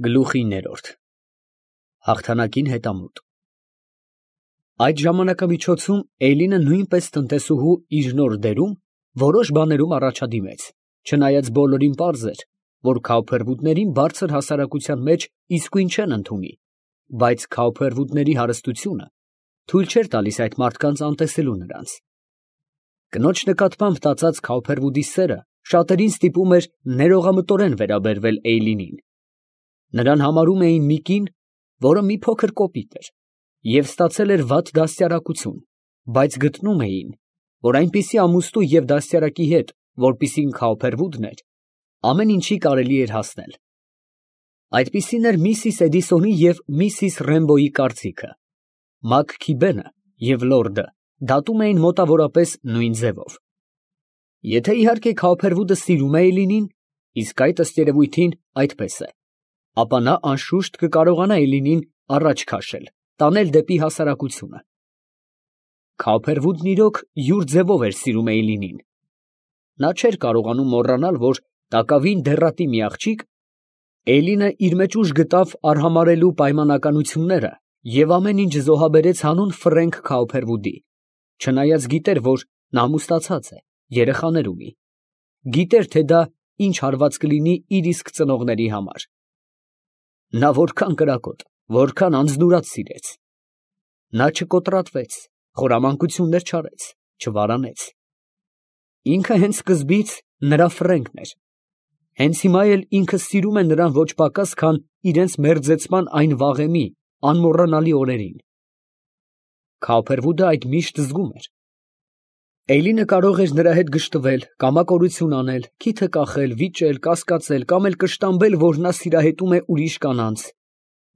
Գլուխի ներորդ հաղթանակին հետամուտ Այդ ժամանակամիջոցում Էյլինը նույնպես տնտեսուհու իր նոր դերում որոշ բաներում առաջադիմեց, չնայած բոլորին պարզ էր, որ քավփերվուտներին բարձր հասարակության մեջ իսկույն չեն ընդունի, բայց քավփերվուտների հարստությունը թույլ չէր տալիս այդ մարդկանց անտեսելու նրանց։ Կնոջ նկատմամբ տածած քավփերվուտի սերը շատերին ստիպում էր ներողամտորեն վերաբերվել Էյլինին։ Նրան համարում էին մի կին, որը մի փոքր կոպիտ էր և ստացել էր վատ դաստիարակություն, բայց գտնում էին, որ այնպիսի ամուսնու և դաստիարակի հետ, որպիսին քավփերվուտն էր, ամեն ինչի կարելի էր հասնել։ Այդպիսին էր միսիս Էդիսոնի և միսիս Ռեմբոյի կարծիքը։ Մաքքիբենը և լորդը դատում էին մոտավորապես նույն ձևով։ Եթե իհարկե քավփերվուտը սիրում է Էյլինին, իսկ այդ ըստ երևույթին այդպես է, ապա նա անշուշտ կկարողանա Էյլինին առաջ քաշել, տանել դեպի հասարակությունը։ Քավփերվուտն իրոք յուր ձևով էր սիրում Էյլինին։ Նա չէր կարողանում մոռանալ, որ տակավին դեռատի մի աղջիկ, Էյլինը իր մեջ ուժ գտավ արհամարհելու պայմանականությունները և ամեն ինչ զոհաբերեց հանուն Ֆրենք Քավփերվուտի, չնայած գիտեր, որ նա ամուսնացած է, երեխաներ ունի, գիտեր, թե դա ինչ հարված կլինի իր իսկ ծնողների համար։ Նա որքան կրակոտ, որքան անձնուրաց սիրեց։ Նա չկոտրատվեց, խորամանկություններ չարեց, չվարանեց։ Ինքը հենց սկզբից նրա Ֆրենքն էր։ Հենց հիմա էլ ինքը սիրում է նրան ոչ պակաս, քան իրենց մերձեցման այն վաղեմի անմոռանալի օրերին։ Քավփերվուտը այդ միշտ զգում էր։ Էյլինը կարող էր նրա հետ գժտվել, կամակորություն անել, քիթը կախել, վիճել, կասկածել կամ էլ կշտամբել, որ նա սիրահետում է ուրիշ կանանց,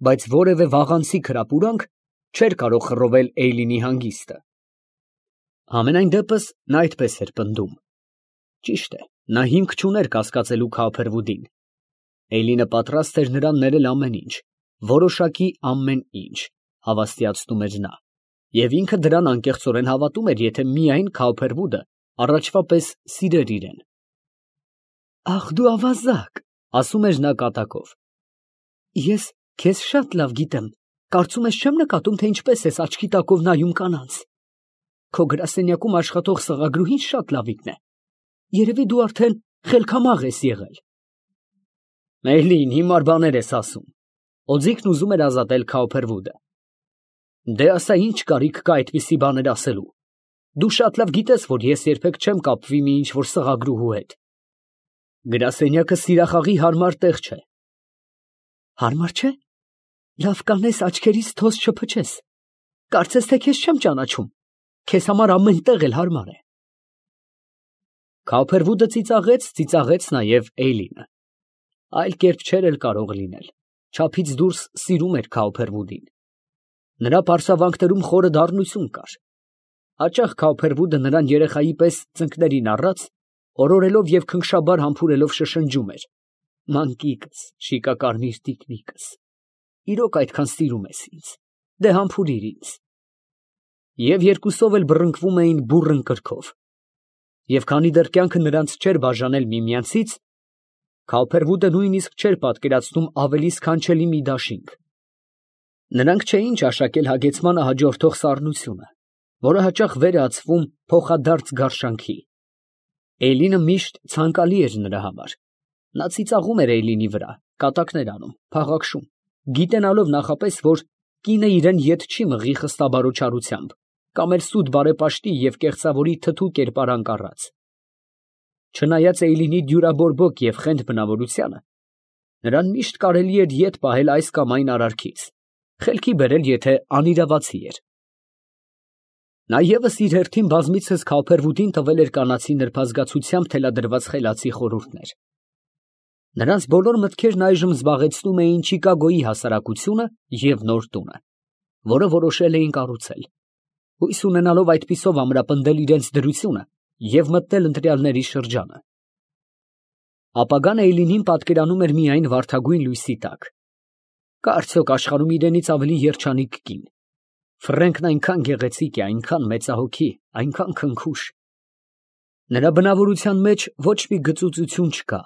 բայց որևէ վաղանցիկ հրապուրանք չէր կարող խռովել Էյլինի հանգիստը։ Համենայն դեպս նա այդպես էր պնդում։ Ճիշտ է, նա հիմք չուներ կասկածելու քավփերվուտին։ Էյլինը պատրաստ էր նրան ներել ամեն ինչ, որոշակի ամեն ինչ, հավաստիացնում էր նա, և ինքը դրան անկեղծորեն հավատում էր, եթե միայն քավփերվուտը առաջվա պես սիրեր իրեն։ «Ախ, դու ավազակ», ասում էր նա կատակով։ «Ես քեզ շատ լավ գիտեմ, կարծում ես չեմ նկատում, թե ինչպես ես աչքի տակով նայում կանանց։ Քո գրասենյակում աշխատող սղագրուհին շատ լավիկն է։ Երևի դու արդեն խելքամաղ ես եղել»։ «Էյլին, հիմար բաներ ես ասում», օձիքն ուզում էր ազատել քավփերվուտը։ «Դե ասա, ինչ կարիք կա այդպիսի բաներ ասելու։ Դու շատ լավ գիտես, որ ես երբեք չեմ կապվի մի ինչ֊որ սղագրուհու հետ։ Գրասենյակը սիրախաղի հարմար տեղ չէ»։ «Հարմար չէ։ Լավ կանես աչքերից թոզ չփչես։ Կարծես թե քեզ չեմ ճանաչում։ Քեզ համար ամեն տեղ էլ հարմար է»։ Քավփերվուտը ծիծաղեց նաև Էյլինը։ Այլ կերպ չէր էլ կարող լինել, չափից դուրս սիրում էր քավփերվուտին։ Նրա պարսավանքներում խորը դառնություն կար։ Հաճախ քավփերվուտը նրան երեխայի պես ծնկներին առած, օրորելով և քնքշաբար համբուրելով շշնջում էր. «Մանկիկս, շիկակարմիր տիկնիկս, իրոք այդքան սիրում ես ինձ, դե համբուրիր ինձ»։ Եվ երկուսով էլ բռնկվում էին բուռն կրքով։ Եվ քանի դեռ կյանքը նրանց չէր բաժանել միմյանցից, քավփերվուտը նույնիսկ չէր պատկերացնում ավելի սքանչելի մի դաշինք։ Նրանք չէին ճաշակել հագեցմանը հաջորդող սառնությունը, որը հաճախ վեր է ածվում փոխադարձ գարշանքի։ Էյլինը միշտ ցանկալի էր նրա համար։ Նա ծիծաղում էր Էյլինի վրա, կատակներ անում, փաղաքշում, գիտենալով նախապես, որ կինը իրեն ետ չի մղի խստաբարոչարությամբ կամ էլ սուտ բարեպաշտի և կեղծավորի թթու կերպարանք առած։ Չնայած Էյլինի դյուրաբորբոք և խենթ բնավորությանը, նրան միշտ կարելի էր ետ պահել այս կամ այն արարքից, խելքի բերել, եթե անիրավացի էր։ Նա ևս իր հերթին բազմիցս քավփերվուտին տվել էր կանացի նրբազգացությամբ թելադրված խելացի խորհուրդներ։ Նրանց բոլոր մտքերն այժմ զբաղեցնում էին Չիկագոյի հասարակությունը և նոր տունը, որը որոշել էին կառուցել, հույս ունենալով այդպիսով ամրապնդել իրենց դրությունը և մտնել ընտրյալների շրջանը։ Ապագան Էյլինին պատկերանում էր միայն վարդագույն լույսի տակ։ Կա արդյոք աշխարհում իրենից ավելի երջանիկ կին։ Ֆրենքն այնքան գեղեցիկ է, այնքան մեծահոգի, այնքան քնքուշ։ Նրա բնավորության մեջ ոչ մի գծուծություն չկա։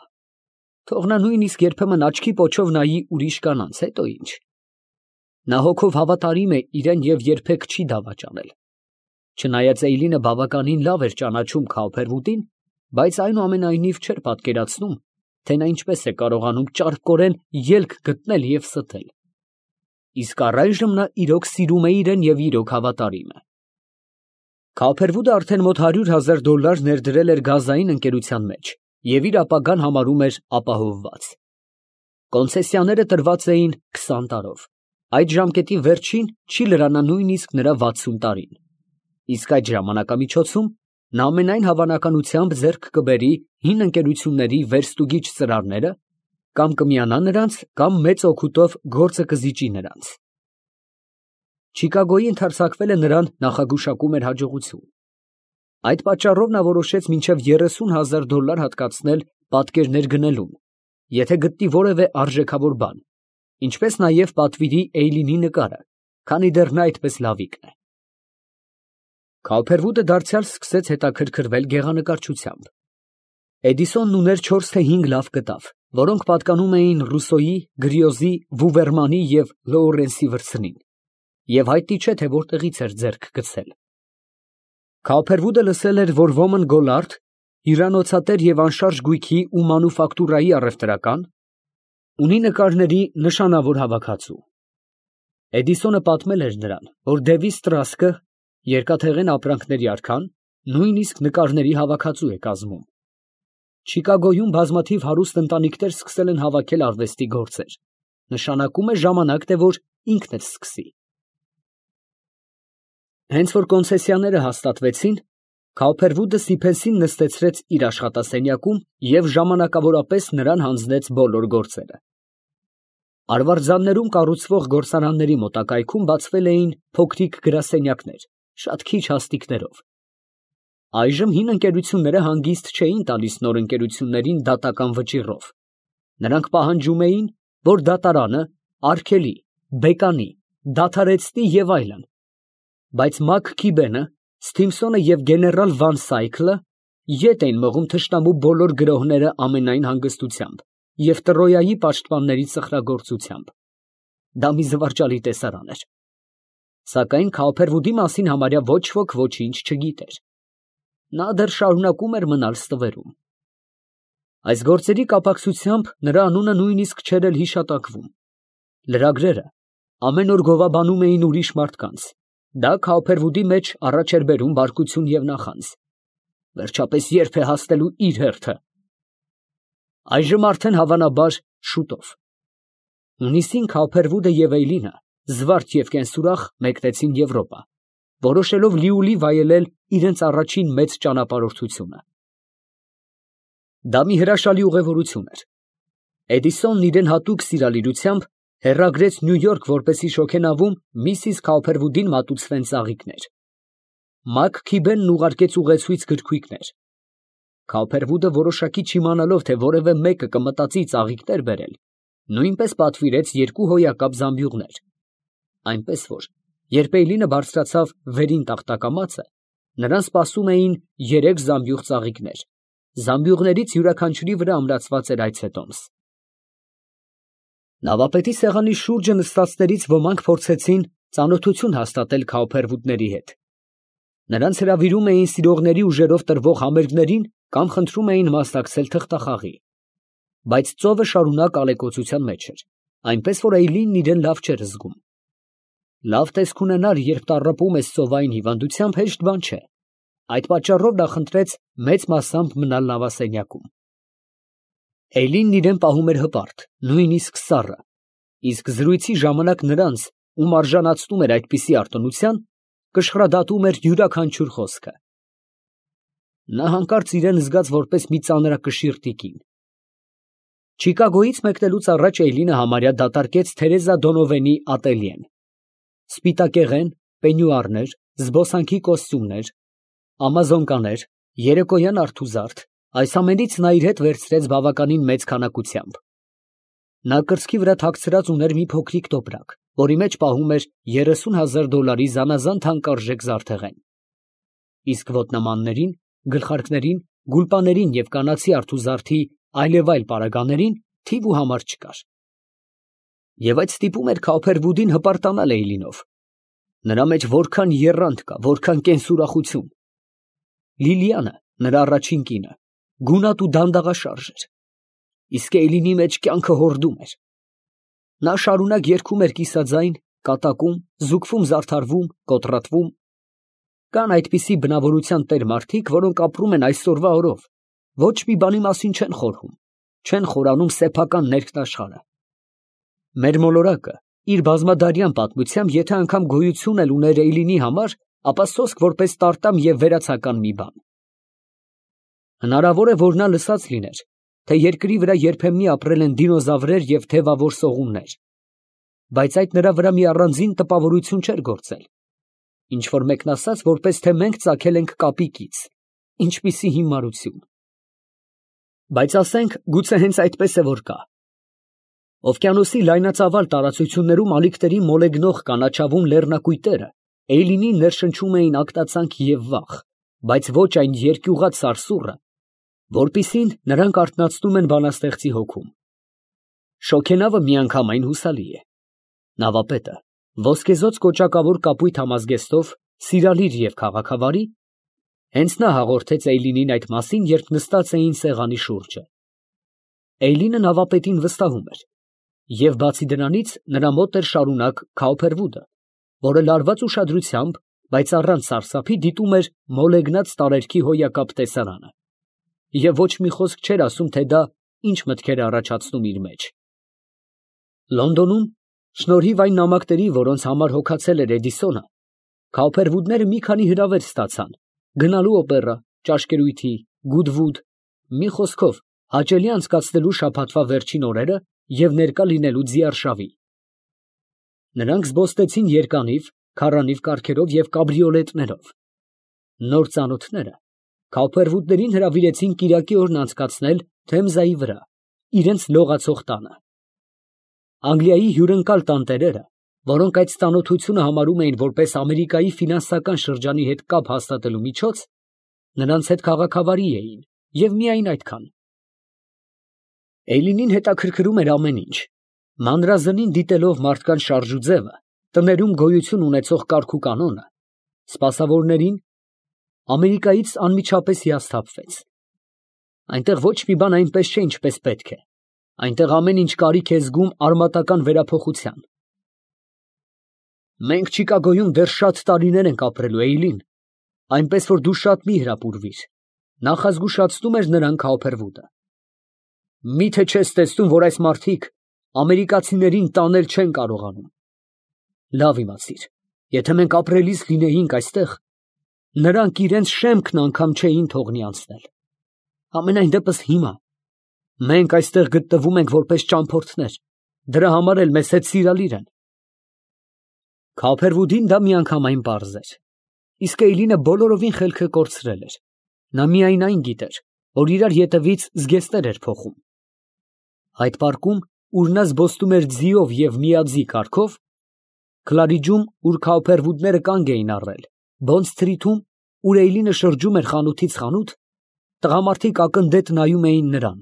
Թող նա նույնիսկ երբեմն աչքի պոչով նայի ուրիշ կանանց, հետո ինչ։ Նա հոգով հավատարիմ է իրեն և երբեք չի դավաճանել։ Չնայած Էյլինը բավականին լավ էր ճանաչում Քաուփերվուդին, բայց այնուամենայնիվ չէր պատկերացնում, թե նա ինչպես է կարողանում ճարպկորեն ելք գտնել և ստել։ Իսկ առայժմ նա իրոք սիրում է իրեն և իրոք հավատարիմ է։ Քաուփերվուդը արդեն մոտ $100,000 ներդրել էր գազային ընկերության մեջ և իր ապագան համարում էր ապահովված։ Կոնցեսիաները տրված էին 20 տարով, այդ ժամկետի վերջին չի լրանա նույնիսկ նրա 60 տարին։ Իսկ այդ ժամանակամիջոցում նա ամենայն հավանականությամբ ձեռք կբերի հին ընկերությունների վերստուգիչ ծրարները, կամ կմիանա նրանց, կամ մեծ օգուտով գործը կզիջի նրանց։ Չիկագոյի ընդարձակվելը նրան նախագուշակում էր հաջողություն։ Այդ պատճառով նա որոշեց մինչև $30,000 հատկացնել պատկերներ գնելուն, եթե գտնի որևէ արժեքավոր բան, ինչպես նաև պատվիրի Էյլինի նկարը, քանի դեռ նա այդպես լավիկն է։ Քաուփերվուդը դարձյալ սկսեց հետաքրքրվել գեղանկարչությամբ։ Էդիսոնն ուներ 4 թե 5 լավ կտավ, որոնք պատկանում էին Ռուսոյի, Գրիոզի, Վուվերմանի և Լոուրենսի վրձնին, և հայտնի չէ, թե որտեղից էր ձեռք գցել։ Քաուփերվուդը լսել էր, որ ոմն Գոլարդ, հյուրանոցատեր և անշարժ գույքի ու մանուֆակտուրայի առևտրական, ունի նկարների նշանավոր հավաքածու։ Էդիսոնը պատմել էր նրան, որ Դևի Ստրասկը, երկաթեղեն ապրանքների արքան, նույնիսկ նկարների հավաքածու է կազմում։ Չիկագոյում բազմաթիվ հարուստ ընտանիքներ սկսել են հավաքել արվեստի գործեր, նշանակում է ժամանակն է, որ ինքն էլ սկսի։ Հենց որ կոնցեսիաները հաստատվեցին, Քաուփերվուդը Սիփեսին նստեցրեց իր աշխատասենյակում և ժամանակավորապես նրան հանձնեց բոլոր գործերը։ Արվարձաններում կառուցվող գործարանների մոտակայքում բացվել էին փոքրիկ գրասենյակներ, շատ քիչ հաստիքներով։ Այժմ հին ընկերությունները հանգիստ չէին տալիս նոր ընկերություններին դատական վճիռով։ Նրանք պահանջում էին, որ դատարանը արգելի, բեկանի, դադարեցնի և այլն, բայց Մաքքիբենը, Սթիմփսոնը և գեներալ Վան Սայքլը ետ էին մղում թշնամու բոլոր գրոհները ամենայն հանգստությամբ և Տրոյայի պաշտպանների սխրագործությամբ։ Դա մի զվարճալի տեսարան էր։ Սակայն Քաուփերվուդի մասին համարյա ոչ ոք ոչինչ չգիտեր։ Նա դեռ շարունակում էր մնալ ստվերում։ Այս գործերի կապակցությամբ նրա անունը նույնիսկ չէր էլ հիշատակվում։ Լրագրերը ամեն օր գովաբանում էին ուրիշ մարդկանց։ Դա Քաուփերվուդի մեջ առաջ էր բերում բարկություն և նախանձ։ Վերջապես ե՞րբ է հասնելու իր հերթը։ Այժմ արդեն հավանաբար շուտով։ Հունիսին Քաուփերվուդը և Էյլինը, զվարթ և կենսուրախ, մեկնեցին Եվրոպա, որոշելով լիուլի վայելել իրենց առաջին մեծ ճանապարհորդությունը։ Դա մի հրաշալի ուղևորություն էր։ Էդիսոնն իրեն հատուկ սիրալիրությամբ հեռագրեց Նյու Յորք, որպեսզի շոգենավում միսիս Քաուփերվուդին մատուցվեն ծաղիկներ։ Մաքքիբենն ուղարկեց ուղեցույց գրքույկներ։ Քաուփերվուդը որոշակի չիմանալով, թե որևէ մեկը կմտածի ծաղիկներ բերել, նույնպես պատվիրեց 2 հոյակապ զամբյուղներ, այնպես որ, երբ Էյլինը բարձրացավ վերին տախտակամածը, նրան սպասում էին 3 զամբյուղ ծաղիկներ, զամբյուղներից յուրաքանչյուրի վրա ամրացված էր այցետոմս։ Նավապետի սեղանի շուրջը նստածներից ոմանք փորձեցին ծանոթություն հաստատել Քաուփերվուդների հետ։ Նրանց հրավիրում էին սիրողների ուժերով տրվող համերգներին կամ խնդրում էին մասնակցել թղթախաղի։ Բայց ծովը շարունակ ալեկոծության մեջ էր, այնպես որ Էյլինն իրեն լավ չէր զգում։ Լավ տեսք ունենալ, երբ տառապում ես ծովային հիվանդությամբ, հեշտ բան չէ։ Այդ պատճառով նա խնդրեց մեծ մասամբ մնալ նավասենյակում։ Էյլինն իրեն պահում էր հպարտ, նույնիսկ սառը, իսկ զրույցի ժամանակ նրանց, ում արժանացնում էր այդպիսի արտոնության, կշռադատում էր յուրաքանչյուր խոսքը։ Նա հանկարծ իրեն զգաց որպես մի ծանրակշիռ տիկին։ Չիկագոյից մեկնելուց առաջ Էյլինը համարյա դատարկեց Թերեզա Դոնովենի ատելյեն։ Սպիտակեղեն, պենյուարներ, զբոսանքի կոստյումներ, ամազոնկաներ, երեկոյան արթուզարդ, այս ամենից նա իր հետ վերցրեց բավականին մեծ քանակությամբ։ Նա կրծքի վրա թաքցրած ուներ մի փոքրիկ տոպրակ, որի մեջ պահում էր $30,000 զանազան թանկարժեք զարդեղեն։ Իսկ ոտնամաններին, գլխարկներին, գուլպաներին և կանացի արթուզարդի այլև այլ պարագաներին թիվ ու համար չկար։ Եվ այդ ստիպում էր Քավոփերվուդին հպարտանալ Էյլինով։ Նրա մեջ որքան եռանդ կա, որքան կենսուրախություն։ Լիլիանը, նրա առաջին կինը, գունատ ու դանդաղաշարժ էր, իսկ Էյլինի մեջ կյանքը հորդում էր։ Նա շարունակ երգում էր կիսաձայն, կատակում, զուգվում, զարդարվում, կոտրատվում։ Կան այդպիսի բնավորության տեր մարդիկ, որոնք ապրում են այսօրվա օրով, ոչ մի բանի մասին չեն խորհում, չեն խորանում սեփական ներքն աշխարհը։ Մեր մոլորակը իր բազմադարյան պատմությամբ, եթե անգամ գոյություն էլ ուներ Էյլինի համար, ապա սոսկ որպես տարտամ և վերացական մի բան։ Հնարավոր է, որ նա լսած լիներ, թե երկրի վրա երբեմնի ապրել են դինոզավրեր և թևավոր սողուններ, բայց այդ նրա վրա մի առանձին տպավորություն չէր գործել, ինչ որ մեկն ասաց, որպես թե մենք ծագել ենք կապիկից, ինչպիսի հիմարություն։ Բայց ասենք, գուցե հենց այդպես է որ կա։ Օվկիանոսի լայնածավալ տարածություններում ալիքների մոլեգնող կանաչավուն լեռնակույտերը Էյլինին ներշնչում էին ակտացանք և վախ, բայց ոչ այն երկյուղած սարսուռը, որպիսին նրանք արթնացնում են բանաստեղծի հոգում։ Շոգենավը միանգամայն հուսալի է։ Նավապետը, ոսկեզօծ կոճակավոր կապույտ համազգեստով, սիրալիր և քաղաքավարի, հենց նա հաղորդեց Էյլինին այդ մասին, երբ նստած էին սեղանի շուրջը։ Էյլինը նավապետին վստահում էր, և բացի դրանից նրա մոտ էր շարունակ Քավոփերվուդը, որը լարված ուշադրությամբ, բայց առանց սարսափի դիտում էր մոլեգնած տարերքի հոյակապ տեսարանը, և ոչ մի խոսք չէր ասում, թե դա ինչ մտքեր է առաջացնում իր մեջ։ Լոնդոնում, շնորհիվ այն նամակների, որոնց համար հոգացել էր Էդիսոնը, Քավոփերվուդները մի քանի հրավեր ստացան, գնալու օպերա, ճաշկերույթի, Գուդվուդ, մի խոսքով, հաճելի անցկացնելու շաբաթվա վերջին օրերը և ներկա լինելու ձիարշավի։ Նրանք զբոսնեցին երկանիվ, քառանիվ կառքերով և կաբրիոլետներով։ Նոր ծանոթները Քավոփերվուդներին հրավիրեցին կիրակի օրն անցկացնել Թեմզայի վրա, իրենց լողացող տանը։ Անգլիայի հյուրընկալ տանտերերը, որոնք այդ ծանոթությունը համարում էին որպես Ամերիկայի ֆինանսական շրջանի հետ կապ հաստատելու միջոց, նրանց հետ քաղաքավարի էին, և միայն այդքան։ Էյլինին հետաքրքրում էր ամեն ինչ, մանրազնին դիտելով մարդկանց շարժուձևը, տներում գոյություն ունեցող կարգուկանոնը, սպասավորներին, Ամերիկայից անմիջապես հիասթափվեց։ Այնտեղ ոչ մի բան այնպես չէ, ինչպես պետք է, այնտեղ ամեն ինչ կարիք է զգում արմատական վերափոխության։ Մենք Չիկագոյում դեռ շատ տարիներ ենք ապրելու, Էյլին, այնպես որ դու շատ մի հրապուրվիր, նախազգուշացնում էր նրան Քավոփերվուդը։ Մի՞թե չես տեսնում, որ այս մարդիկ ամերիկացիներին տանել չեն կարողանում։ Լավ իմացիր, եթե մենք ապրելիս լինեինք այստեղ, նրանք իրենց շեմքն անգամ չէին թողնի անցնել։ Համենայն դեպս հիմա մենք այստեղ գտնվում ենք որպես ճամփորդներ, դրա համար էլ մեզ հետ սիրալիր են։ Քավոփերվուդին դա միանգամայն պարզ էր, իսկ Էյլինը բոլորովին խելքը կորցրել էր։ Նա միայն այն գիտեր, որ իրար ետևից զգեստներ էր փոխում։ Այդ պարկում, ուր նա զբոսնում էր ձիով և միաձի կառքով, Քլարիջում, ուր Քավոփերվուդները կանգ էին առել, Բոնդ սթրիթում, ուր Էյլինը շրջում էր խանութից խանութ, տղամարդիկ ակնդետ նայում էին նրան,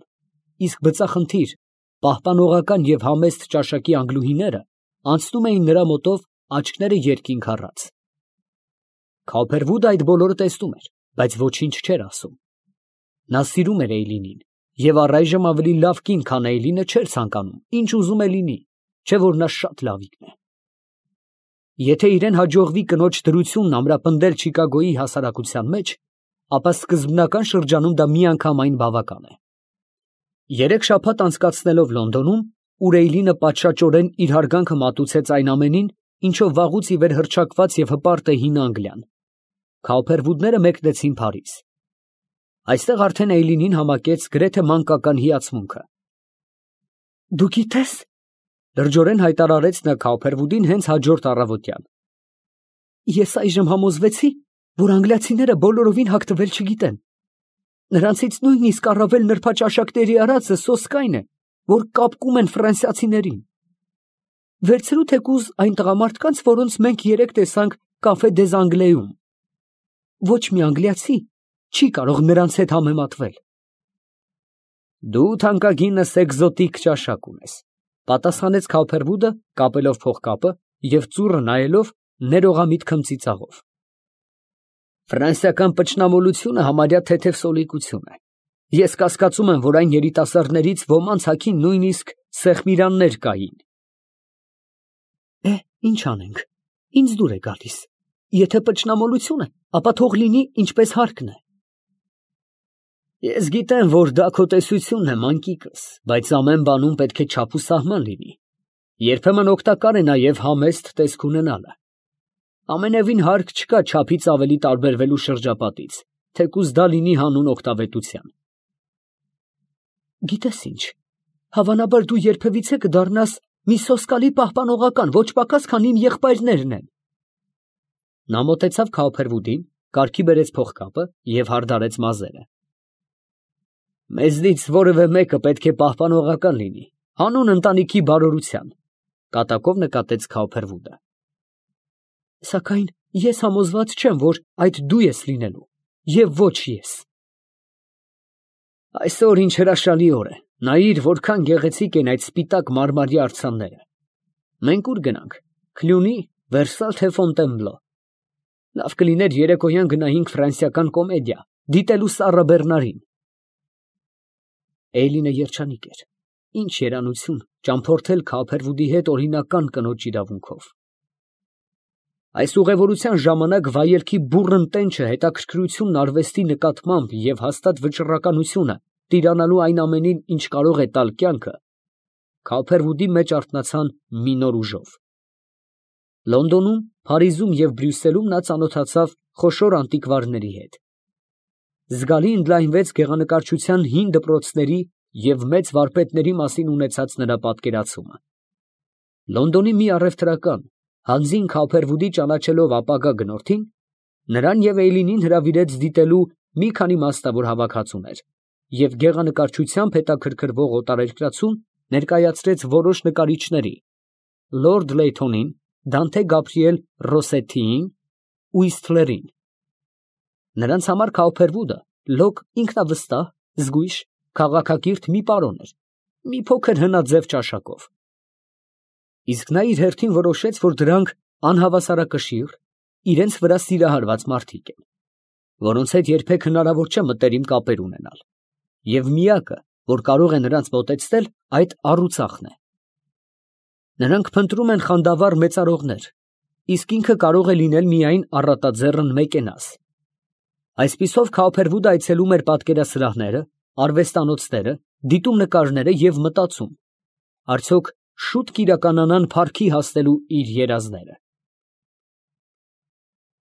իսկ բծախնդիր, պահպանողական և համեստ ճաշակի անգլուհիները անցնում էին նրա մոտով աչքները երկինք առած։ Քավոփերվուդը այդ բոլորը տեսնում էր, բայց ոչինչ չէր ասում։ Նա սիրում էր Էյլինին և առայժմ ավելի լավ կին, քան Էյլինը չէր ցանկանում, ինչ ուզում է լինի, չէ որ նա շատ լավիկն է։ Եթե իրեն հաջողվի կնոջ դրությունն ամրապնդել Չիկագոյի հասարակության մեջ, ապա սկզբնական շրջանում դա միանգամայն բավական է։ 3 շաբաթ անցկացնելով Լոնդոնում, ուր Էյլինը պատշաճորեն իր հարգանքը մատուցեց այն ամենին, ինչով վաղուց ի վեր հռչակված և հպարտ է հին Անգլիան, Քավոփերվուդները մեկնեցին Փարիզ։ Այստեղ արդեն Էյլինին համակեց գրեթե մանկական հիացմունքը։ Դու գիտես, լրջորեն հայտարարեց նա Քավոփերվուդին հենց հաջորդ առավոտյան, ես այժմ համոզվեցի, որ անգլիացիները բոլորովին հագտվել չգիտեն։ Նրանցից նույնիսկ առավել նրբաճաշակների արածը սոսկայն է, որ կապկում են ֆրանսիացիներին։ Վերցրու թեկուզ այն տղամարդկանց, որոնց մենք երեկ տեսանք Կաֆե դեզ Անգլեում։ Ոչ մի անգլիացի չի կարող նրանց հետ համեմատվել։ Դու թանկագինս էկզոտիկ ճաշակ ունես, պատասխանեց Քավփերվուդը, կապելով փողկապը և ծուռը նայելով ներողամիտ քմծիծաղով։ Ֆրանսիական պճնամոլությունը համարյա թեթև սոլիկություն է։ Ես կասկածում եմ, որ այն երիտասարդներից ոմանց հագին նույնիսկ սեղմիրաններ կային։ Ինչ անենք, ինձ դուր է գալիս։ Եթե պճնամոլություն է, ապա թող լինի ինչպես հարկն է։ Ես գիտեմ, որ դա քո տեսությունն է, մանկիկս, բայց ամեն բանում պետք է չափ ու սահման լինի։ Երբեմն օգտակար է նաև համեստ տեսք ունենալը։ Ամենևին հարկ չկա չափից ավելի տարբերվելու շրջապատից, թեկուզ դա լինի հանուն օգտավետության։ Գիտես ինչ, հավանաբար դու երբևիցե կդառնաս մի սոսկալի պահպանողական, ոչ պակաս, քան իմ եղբայրներն են։ Նա մոտեցավ Քավփերվուդին, կարգի բերեց փողկապը և հարդարեց մազերը։ Մեզնից որևէ մեկը պետք է պահպանողական լինի, հանուն ընտանիքի բարօրության, կատակով նկատեց Քավփերվուդը։ Սակայն ես համոզված չեմ, որ այդ դու ես լինելու, և ոչ ես։ Այսօր ինչ հրաշալի օր է, նայիր, որքան գեղեցիկ են այդ սպիտակ մարմարի արձանները։ Մենք ուր գնանք, Քլյունի, Վերսալ, թե Ֆոնտենբլո։ Լավ կլիներ երեկոյան գնայինք ֆրանսիական կոմեդիա, դիտելու Սառա Բեռնարին։ Էյլինը երջանիկ էր։ Ինչ երանություն ճամփորդել Քավփերվուդի հետ օրինական կնոջ իրավունքով։ Այս ուղևորության ժամանակ վայելքի բուռն տենչը, հետաքրքրությունն արվեստի նկատմամբ և հաստատ վճռականությունը տիրանալու այն ամենին, ինչ կարող է տալ կյանքը, Քավփերվուդի մեջ արթնացան մի նոր ուժով։ Լոնդոնում, Փարիզում և Բրյուսելում նա ծանոթացավ խոշոր անտիկվարների հետ։ Զգալի ընդլայնվեց գեղանկարչության հին դպրոցների և մեծ վարպետների մասին ունեցած նրա պատկերացումը։ Լոնդոնի մի առևտրական, հանձին Քավփերվուդի ճանաչելով ապագա գնորդին, նրան և Էյլինին հրավիրեց դիտելու մի քանի մասնավոր հավաքածուներ և գեղանկարչությամբ հետաքրքրվող օտարերկրացուն ներկայացրեց որոշ նկարիչների՝ լորդ Լեյթոնին, Դանթե Գաբրիել Ռոսսետիին, Ուիսթլերին։ Նրանց համար Քավփերվուդը լոկ ինքնավստահ, զգույշ, քաղաքակիրթ մի պարոն էր, մի փոքր հնաձև ճաշակով։ Իսկ նա իր հերթին որոշեց, որ դրանք անհավասարակշիռ, իրենց վրա սիրահարված մարդիկ են, որոնց հետ երբեք հնարավոր չէ մտերիմ կապեր ունենալ, և միակը, որ կարող է նրանց մոտեցնել, այդ առուծախն է։ Նրանք փնտրում են խանդավառ մեծարողներ, իսկ ինքը կարող է լինել միայն առատաձեռն մեկենաս։ Այսպիսով Քավփերվուդը այցելում էր պատկերասրահները, արվեստանոցները, դիտում նկարները և մտածում. արդյոք շուտ կիրականանան փառքի հասնելու իր երազները։